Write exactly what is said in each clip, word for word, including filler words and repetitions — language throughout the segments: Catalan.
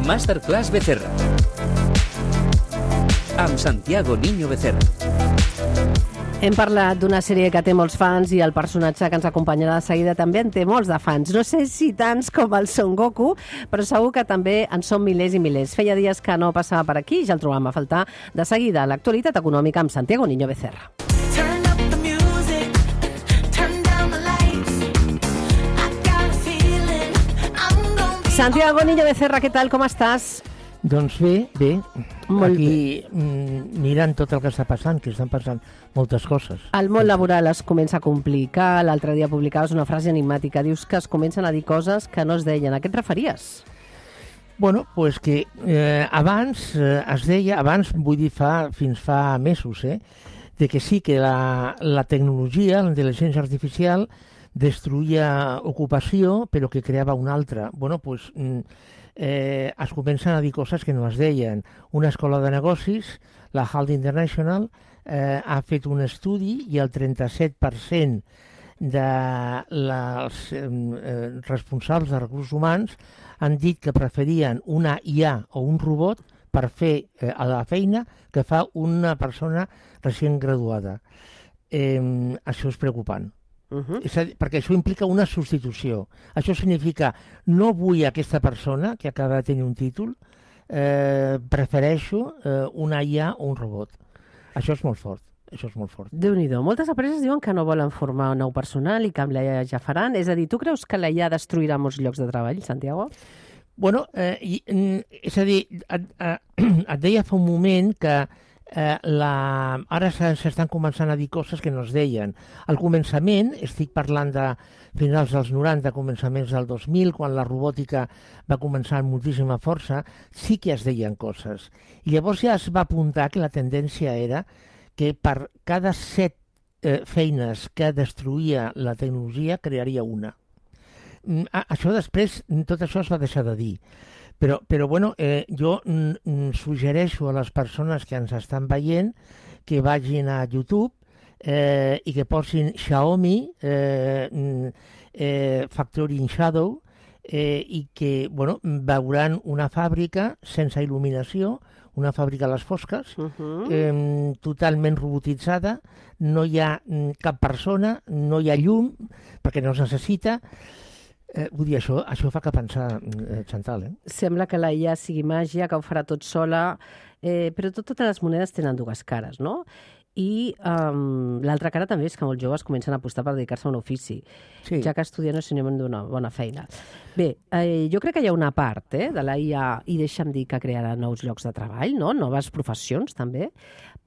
Masterclass Becerra amb Santiago Niño Becerra. Hem parlat d'una sèrie que té molts fans i el personatge que ens acompanyarà de seguida també en té molts de fans. No sé si tants com el Son Goku, però segur que també en són milers i milers. Feia dies que no passava per aquí i ja el trobam a faltar. De seguida, l'actualitat econòmica amb Santiago Niño Becerra. Santiago Niño Becerra, què tal, com estàs? Doncs bé, bé. Molt Aquí mm, mirant tot el que està passant, que estan passant moltes coses. El món laboral es comença a complicar. L'altre dia publicaves una frase enigmàtica. Dius que es comencen a dir coses que no es deien. A què et referies? Bueno, pues que eh, abans eh, es deia, abans vull dir fa, fins fa mesos, eh, de que sí que la, la tecnologia, la intel·ligència artificial, destruïa ocupació, però que creava una altra. Bueno, pues... Mm, Eh, es comencen a dir coses que no es deien. Una escola de negocis, la Halt International, eh, ha fet un estudi i el trenta-set per cent dels eh, responsables de recursos humans han dit que preferien una I A o un robot per fer eh, la feina que fa una persona recient graduada. Eh, això és preocupant. Uh-huh. És a dir, perquè això implica una substitució. Això significa, no vull aquesta persona que acaba de tenir un títol, eh, prefereixo eh, una I A o un robot. Això és molt fort. Això és molt fort. Déu-n'hi-do. Moltes empreses diuen que no volen formar un nou personal i que amb la I A ja faran. És a dir, tu creus que la I A destruirà molts llocs de treball, Santiago? Bueno, eh, i, és a dir, et, eh, et deia fa un moment que Eh, la... ara s'estan començant a dir coses que no es deien. Al començament, estic parlant de finals dels noranta, començaments del dos mil, quan la robòtica va començar amb moltíssima força, sí que es deien coses. I llavors ja es va apuntar que la tendència era que per cada set eh, feines que destruïa la tecnologia, crearia una. Mm, això després, tot això es va deixar de dir. Però, però bueno, eh, jo mm, suggereixo a les persones que ens estan veient que vagin a YouTube eh, i que posin Xiaomi, eh, eh, Factory in Shadow, eh, i que bueno, veuran una fàbrica sense il·luminació, una fàbrica a les fosques, uh-huh. eh, totalment robotitzada, no hi ha cap persona, no hi ha llum, perquè no es necessita. Eh, vull dir, això, això fa que pensar, eh, Chantal, eh? Sembla que la I A sigui màgia, que ho farà tot sola, eh, però tot, totes les monedes tenen dues cares, no? I um, l'altra cara també és que molts joves comencen a apostar per dedicar-se a un ofici, sí. Ja que estudiar no és sinònim d'una bona feina. Bé, eh, jo crec que hi ha una part eh, de la I A, i deixa'm dir que crearà nous llocs de treball, no? Noves professions també,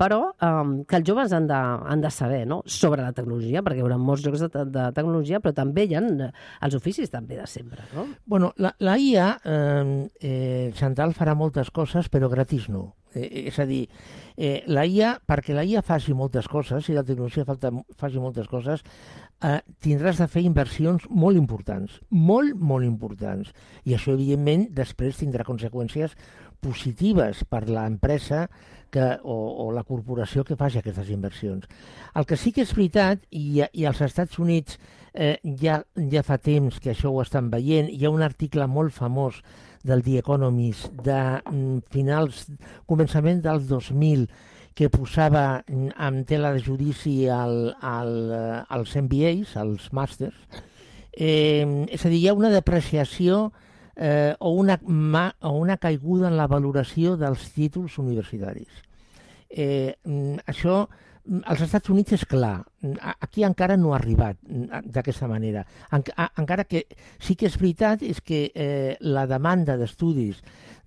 però um, que els joves han de, han de saber, no? Sobre la tecnologia, perquè hi haurà molts llocs de, de tecnologia, però també hi ha els oficis també de sempre, no? Bueno, la, la I A, eh, eh, Chantal, farà moltes coses, però gratis no. Eh, és a dir, eh, la I A, perquè la I A faci moltes coses, i la tecnologia falta, faci moltes coses, eh, tindràs de fer inversions molt importants, molt, molt importants. I això, evidentment, després tindrà conseqüències positives per l'empresa que, o, o la corporació que faci aquestes inversions. El que sí que és veritat, i, i als Estats Units eh, ja, ja fa temps que això ho estan veient, hi ha un article molt famós del The Economist de mm, finals, començament dels dos mil, que posava mm, en tela de judici el, el, els M B As, els màsters. Eh, és a dir, hi ha una depreciació eh, o, una, ma, o una caiguda en la valoració dels títols universitaris. Eh, això, als Estats Units és clar, aquí encara no ha arribat d'aquesta manera. En, encara que sí que és veritat és que eh, la demanda d'estudis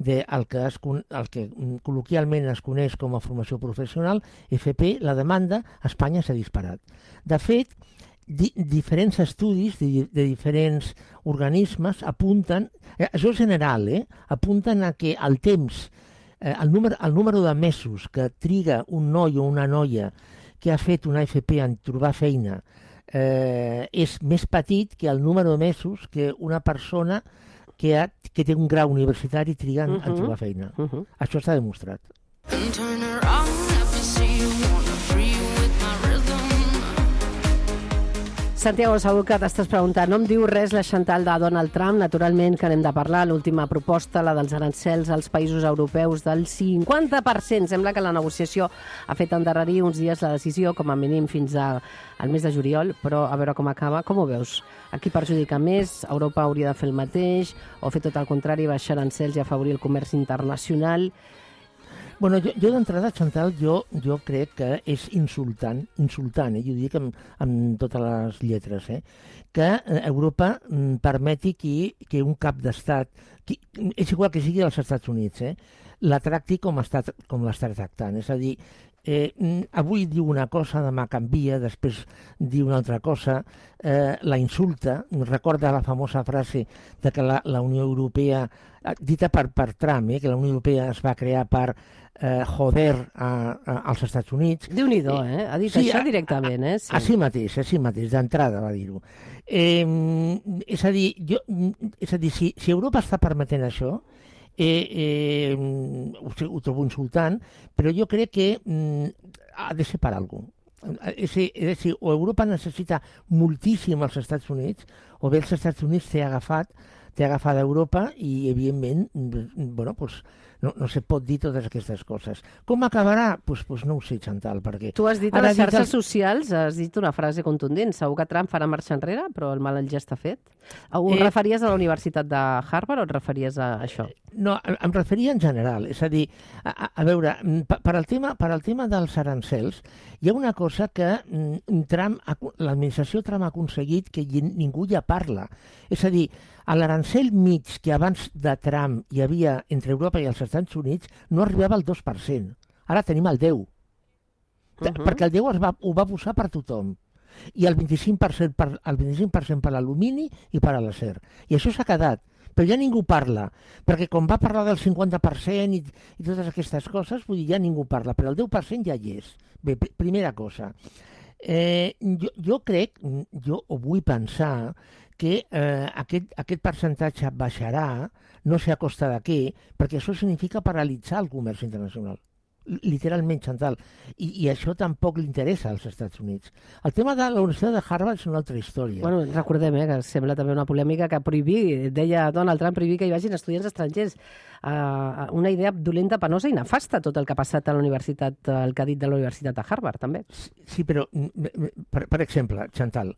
del que, es, el que col·loquialment es coneix com a formació professional, F P, la demanda a Espanya s'ha disparat. De fet, di, diferents estudis de, de diferents organismes apunten, eh, això és general, eh, apunten a que el temps, eh, el, número, el número de mesos que triga un noi o una noia que ha fet una F P en trobar feina eh, és més petit que el número de mesos que una persona que, ha, que té un grau universitari triga en, uh-huh. en trobar feina. Uh-huh. Això està demostrat. Santiago, segur que t'estàs preguntant. No em diu res la Chantal de Donald Trump, naturalment que n'hem de parlar. L'última proposta, la dels arancels als països europeus del cinquanta per cent. Sembla que la negociació ha fet endarrerir uns dies la decisió, com a mínim fins a, al mes de juliol, però a veure com acaba. Com ho veus? A qui perjudica més? Europa hauria de fer el mateix? O fer tot el contrari, baixar arancels i afavorir el comerç internacional? Bueno, jo, jo d'entrada, Chantal, jo, jo crec que és insultant, insultant, eh? Jo ho dic amb, amb totes les lletres, eh? que Europa mm, permeti que, que un cap d'estat, que, és igual que sigui als Estats Units, eh? la tracti com, està, com l'està tractant. És a dir, eh, avui diu una cosa, demà canvia, després diu una altra cosa, eh, la insulta, recorda la famosa frase de que la, la Unió Europea, dita per, per Trump, eh, que la Unió Europea es va crear per eh, joder a, a, als Estats Units. Déu-n'hi-do, eh? Ha dit sí, això directament, eh? Sí. Així mateix, així mateix, d'entrada va dir-ho. Eh, és a dir, jo, és a dir si, si Europa està permetent això, eh, eh, ho, ho trobo insultant, però jo crec que mm, ha de ser per alguna cosa. És a dir, o Europa necessita moltíssim els Estats Units, o bé els Estats Units té agafat té agafat Europa i, evidentment, bueno, pues, no, no se pot dir totes aquestes coses. Com acabarà? Pues, pues no ho sé, Chantal, perquè... Tu has dit a les xarxes el... socials, has dit una frase contundent, segur que Trump farà marxa enrere, però el mal ja està fet. Ho eh... referies a la Universitat de Harvard o et referies a això? No, em referia en general, és a dir, a, a veure, per al tema, per al tema dels arancels, hi ha una cosa que Trump, l'administració Trump ha aconseguit que ningú ja parla. És a dir, a l'arancel mig que abans de Trump hi havia entre Europa i els Estats Units no arribava al dos per cent. Ara tenim el deu. Uh-huh. Perquè el deu es va, ho va posar per tothom. I el vint-i-cinc per cent per, el vint-i-cinc per cent per l'alumini i per a l'acer. I això s'ha quedat. Però ja ningú parla, perquè quan va parlar del cinquanta per cent i, i totes aquestes coses, vull dir, ja ningú parla, però el deu per cent ja hi és. Bé, pr primera cosa. Eh, jo, jo crec, jo ho vull pensar, que eh, aquest, aquest percentatge baixarà, no sé a costa de què, perquè això significa paralitzar el comerç internacional. Literalment, Chantal. I, i això tampoc li interessa als Estats Units. El tema de la Universitat de Harvard és una altra història. Bueno, recordem eh, que sembla també una polèmica que prohibir, deia Donald Trump, prohibir que hi vagin estudiants estrangers. Uh, una idea dolenta, penosa i nefasta, tot el que ha passat a la universitat, el que ha dit de la Universitat de Harvard, també. Sí, sí però, per, per exemple, Chantal,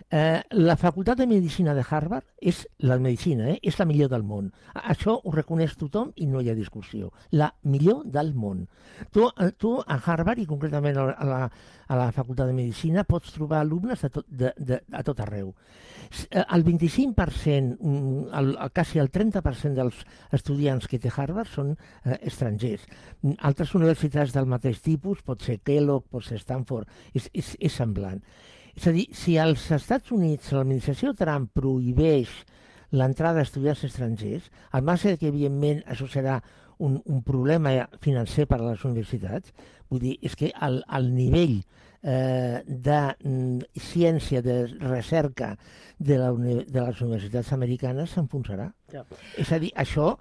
Eh, la Facultat de Medicina de Harvard és la medicina, eh? és la millor del món. Això ho reconeix tothom i no hi ha discussió. La millor del món. Tu, tu a Harvard, i concretament a la, a la Facultat de Medicina, pots trobar alumnes de tot, de, de, a tot arreu. El vint-i-cinc per cent, el, el, quasi el trenta per cent dels estudiants que té Harvard són eh, estrangers. Altres universitats del mateix tipus, pot ser Kellogg, pot ser Stanford, és, és, és semblant. És a dir, si als Estats Units l'administració Trump prohibeix l'entrada d'estudiants estrangers, al marge que, evidentment, això serà un, un problema financer per a les universitats, vull dir, és que el, el nivell eh, de mm, ciència, de recerca de, la, de les universitats americanes s'enfonsarà. Ja. És a dir, això...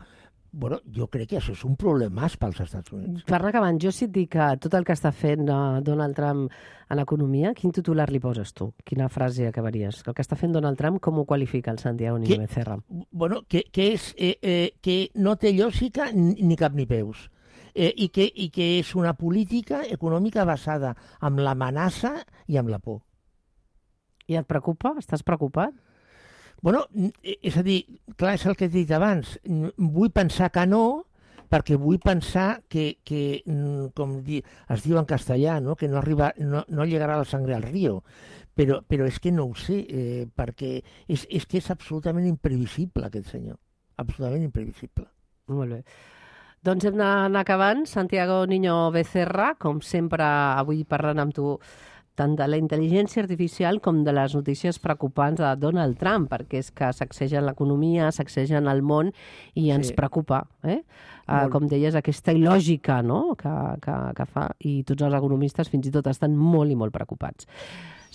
Bueno, jo crec que això és un problemàs pels Estats Units. Per anar acabant, jo si et dic que tot el que està fent uh, Donald Trump en economia, quin titular li poses tu? Quina frase acabaries? El que està fent Donald Trump, com ho qualifica el Santiago Niño Becerra? Bueno, que, que, és, eh, eh, que no té lògica ni cap ni peus. Eh, i, que, I que és una política econòmica basada en l'amenaça i en la por. I et preocupa? Estàs preocupat? Bueno, és a dir, clar, és el que he dit abans, vull pensar que no, perquè vull pensar que, que com di, es diu en castellà, no? que no, arriba, no, no llegarà la sangre al río, però, però és que no ho sé, eh, perquè és, és que és absolutament imprevisible aquest senyor, absolutament imprevisible. Molt bé. Doncs hem d'anar acabant. Santiago Niño Becerra, com sempre, avui parlant amb tu tant de la intel·ligència artificial com de les notícies preocupants de Donald Trump, perquè és que sacsegen l'economia, sacsegen el món i ens sí. preocupa. Eh? Uh, com deies, aquesta il·lògica no? que, que, que fa, i tots els economistes fins i tot estan molt i molt preocupats.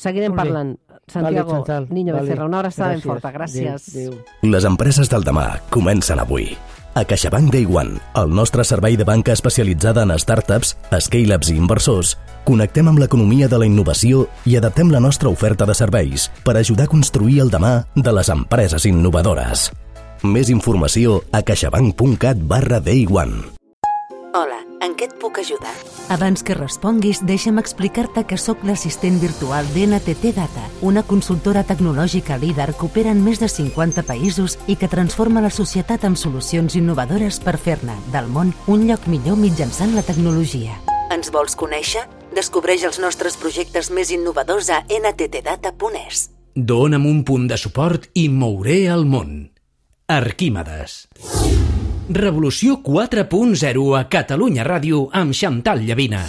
Seguirem parlant. Santiago vale, Niño vale. Becerra, una abraçada ben forta. Gràcies. Adéu, adéu. Les empreses del demà comencen avui. A CaixaBank Day One, el nostre servei de banca especialitzada en startups, scale-ups i inversors, Connectem amb l'economia de la innovació i adaptem la nostra oferta de serveis per ajudar a construir el demà de les empreses innovadores. Més informació a caixabank.cat barra Day One. Hola, en què et puc ajudar? Abans que responguis, deixa'm explicar-te que sóc l'assistent virtual d'N T T Data, una consultora tecnològica líder que opera en més de cinquanta països i que transforma la societat amb solucions innovadores per fer-ne, del món, un lloc millor mitjançant la tecnologia. Ens vols conèixer? Descobreix els nostres projectes més innovadors a N T T data punt E S. Dóna'm un punt de suport i mouré el món. Arquímedes. Revolució quatre punt zero a Catalunya Ràdio amb Xantal Llavina.